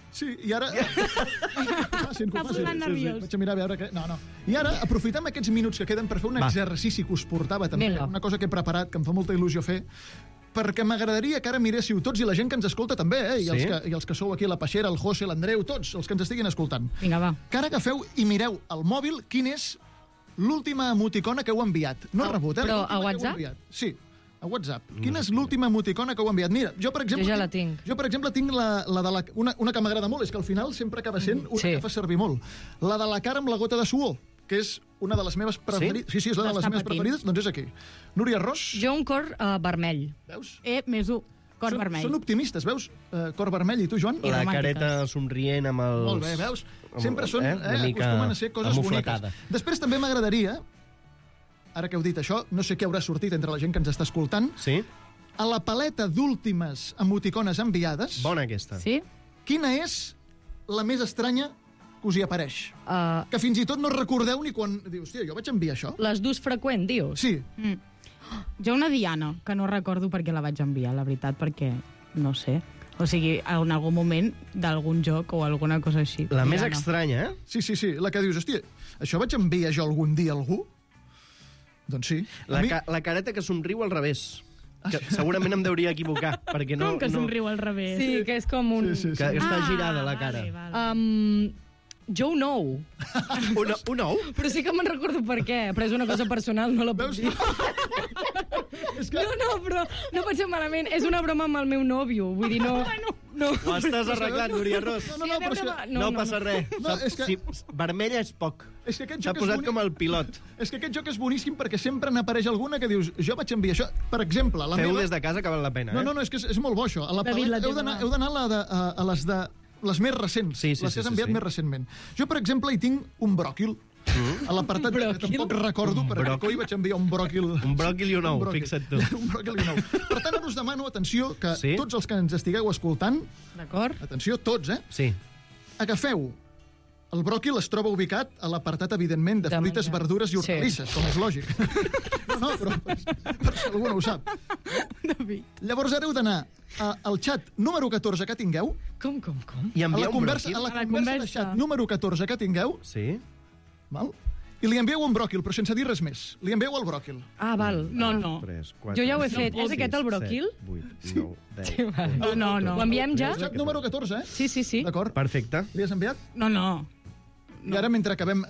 Sí, i ara... Està posant nerviós. Vaig a mirar a veure què... No. I ara aprofitem aquests minuts que queden per fer un exercici que us portava també, una cosa que he preparat, que em fa molta il·lusió fer, perquè m'agradaria que ara miréssiu tots, i la gent que ens escolta també, i els que sou aquí a la Peixera, el José, l'Andreu, tots els que ens estiguin escoltant. Vinga, va. Que ara agafeu i mireu al mòbil quin és l'última emoticona que heu enviat. No rebut, Però a WhatsApp? Sí, a WhatsApp. Quina és l'última emoticona que heu enviat? Mira, jo, per exemple... Jo ja la tinc. Jo, per exemple, tinc una que m'agrada molt, és que al final sempre acaba sent una que fa servir molt. La de la cara amb la gota de suor, que és una de les meves preferides. Sí, és una de les meves preferides, doncs és aquí. Núria Ros? Jo un cor vermell. Veus? Més un. Cor vermell. Són optimistes, veus? Cor vermell, i tu, Joan? La careta somrient amb els... Molt bé, veus? Sempre són, acostumen a ser coses boniques. Després també m'agradaria, ara que heu dit això, no sé què haurà sortit entre la gent que ens està escoltant, a la paleta d'últimes emoticones enviades... Bona aquesta. Sí? Quina és la més estranya que us hi apareix? Que fins i tot no recordeu ni quan... Dius, hòstia, jo vaig enviar això. Les d'ús freqüent, dius? Sí. Jo una Diana, que no recordo per què la vaig enviar, la veritat, perquè no sé. O sigui, en algun moment d'algun joc o alguna cosa així. La més estranya, Sí, la que dius, hòstia, això vaig enviar jo algun dia a algú? Doncs sí. La careta que somriu al revés. Que segurament em deuria equivocar, perquè no... Com que somriu al revés? Sí, que és com un... Que està girada la cara. Jo un ou. Un ou? Però sí que me'n recordo per què, però és una cosa personal, no la puc dir. No, però no penseu malament. És una broma amb el meu nòvio. Vull dir, no... Ho estàs arreglant, Núria Ros. No passa res. Vermella és poc. S'ha posat com el pilot. És que aquest joc és boníssim perquè sempre n'apareix alguna que dius, jo vaig enviar això. Per exemple, la Feu meva... des de casa que val la pena, No, és que és molt bo, això. Heu d'anar a les més recents, les que has enviat més recentment. Jo, per exemple, hi tinc un bròquil. A l'apartat que tampoc recordo, perquè coi vaig enviar un bròquil... Un bròquil i un ou, fixa't tu. Un bròquil i un ou. Per tant, us demano, atenció, que tots els que ens estigueu escoltant... D'acord. Atenció, tots, Sí. Agafeu. El bròquil es troba ubicat a l'apartat, evidentment, de fruites, verdures i hortalisses, com és lògic. No, però per si algú no ho sap. Llavors ara heu d'anar al xat número 14 que tingueu. Com? I enviar un bròquil? A la conversa de xat número 14 que tingueu. Sí. Val? I li envieu un bròquil, però sense dir res més. Li envieu el bròquil. Ah, val. No. 3, 4, Jo ja ho he fet. És aquest el bròquil? 7, 8, 9, 10... No. Ho enviem ja? Xat número 14, Sí. D'acord. Perfecte. Li has enviat? No. I ara, mentre acabem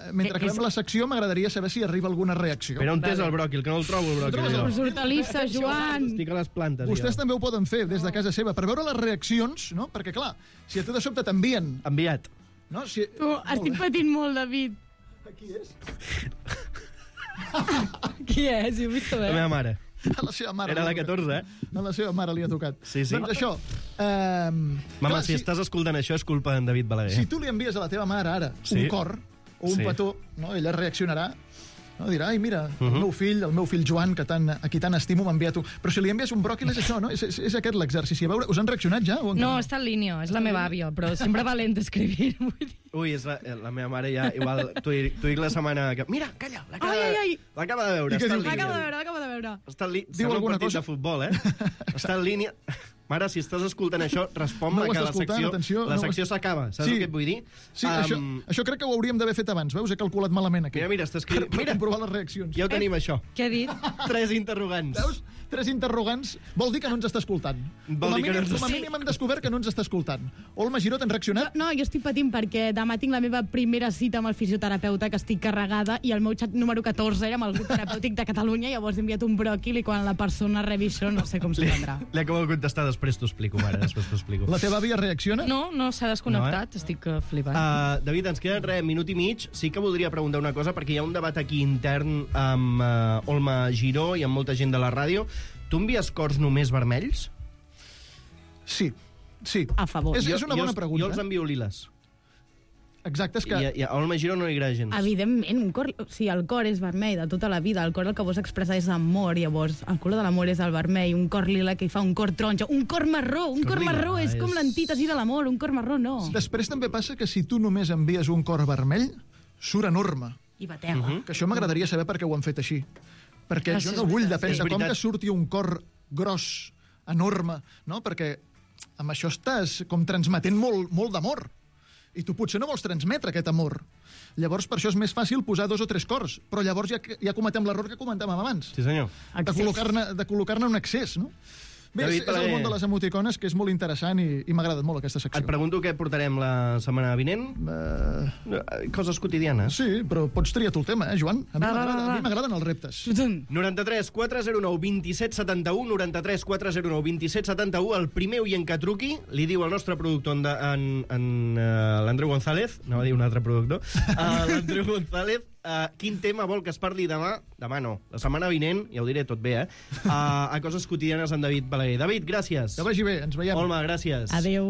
la secció, m'agradaria saber si arriba alguna reacció. Però on és el bròquil? Que no el trobo, el bròquil. Les hortalisses, Joan. Estic a les plantes. Vostès també ho poden fer des de casa seva, per veure les reaccions, no? Perquè, clar, si a tu de sobte t'envien... Enviat. No? Estic patint molt, David. Qui és? Qui és? Jo he vist La meva mare. A la seva mare. Era la 14, A la seva mare li ha tocat. Sí. Doncs això... Mama, si estàs escoltant això, és culpa d'en David Balaguer. Si tu li envies a la teva mare ara un cor o un petó, no? Ella reaccionarà, no? Dirà, ai, mira, el meu fill Joan, a qui tant estimo, m'ha enviat un... Però si li envies un bròquil és això, no? És aquest l'exercici. A veure, us han reaccionat ja? No, està en línia, és la meva àvia, però sempre va lent d'escrivir. Ui, és la meva mare ja, igual, t'ho dic la setmana que... Mira, calla, l'acaba de veure, està en línia. L'acaba de veure. Està en línia. Diu alguna cosa? De futbol, Està en línia. Mare, si estàs escoltant això, respon-me que la secció s'acaba. Saps el que et vull dir? Sí, això crec que ho hauríem d'haver fet abans. Veus? He calculat malament aquí. Mira, està escrit... Per comprovar les reaccions. Ja ho tenim, això. Què ha dit? 3 interrogants. Veus? 3 interrogants vol dir que no ens està escoltant. Com a mínim hem descobert que no ens està escoltant. Olma Giró, t'han reaccionat? No, jo estic patint perquè demà tinc la meva primera cita amb el fisioterapeuta, que estic carregada, i el meu xat número 14 era amb el grup terapèutic de Catalunya, llavors he enviat un bròquil i quan la persona rebi això no sé com s'ho prendrà. Li acabo de contestar, després t'ho explico, mare, després t'ho explico. La teva àvia reacciona? No s'ha desconnectat, estic flipant. David, ens queda minut i mig. Sí que voldria preguntar una cosa, perquè hi ha un debat aquí intern amb Olma Giró i amb molta gent de la ràdio. Tu envies cors només vermells? Sí. A favor. És una bona pregunta. Jo els envio liles. Exacte, és que... I a Olma Giró no li agrada gens. Evidentment, el cor és vermell de tota la vida, el cor el que vols expressar és amor, llavors el color de l'amor és el vermell, un cor lila que hi fa un cor taronja, un cor marró és com l'antítesi de l'amor, un cor marró no. Després també passa que si tu només envies un cor vermell, surt enorme. I batega. Que això m'agradaria saber per què ho han fet així. Perquè jo no vull depèn de com que surti un cor gros, enorme, no? Perquè amb això estàs com transmetent molt d'amor. I tu potser no vols transmetre aquest amor. Llavors, per això és més fàcil posar 2 o 3 cors. Però llavors ja cometem l'error que comentàvem abans. Sí, senyor. De col·locar-ne un excés, no? Bé, és el món de les emoticones, que és molt interessant i m'ha agradat molt aquesta secció. Et pregunto què portarem la setmana vinent? Coses quotidianes. Sí, però pots triar tu el tema, Joan? A mi m'agraden els reptes. 93 409 27 71, 93 409 27 71, el primer oient que truqui li diu al nostre productor, l'Andreu González, anava a dir un altre productor, l'Andreu González, quin tema vol que es parli demà? Demà no, la setmana vinent, ja ho diré tot bé, a Coses quotidianes amb David Balaguer. David, gràcies. Que vagi bé, ens veiem. Olma, gràcies. Adéu.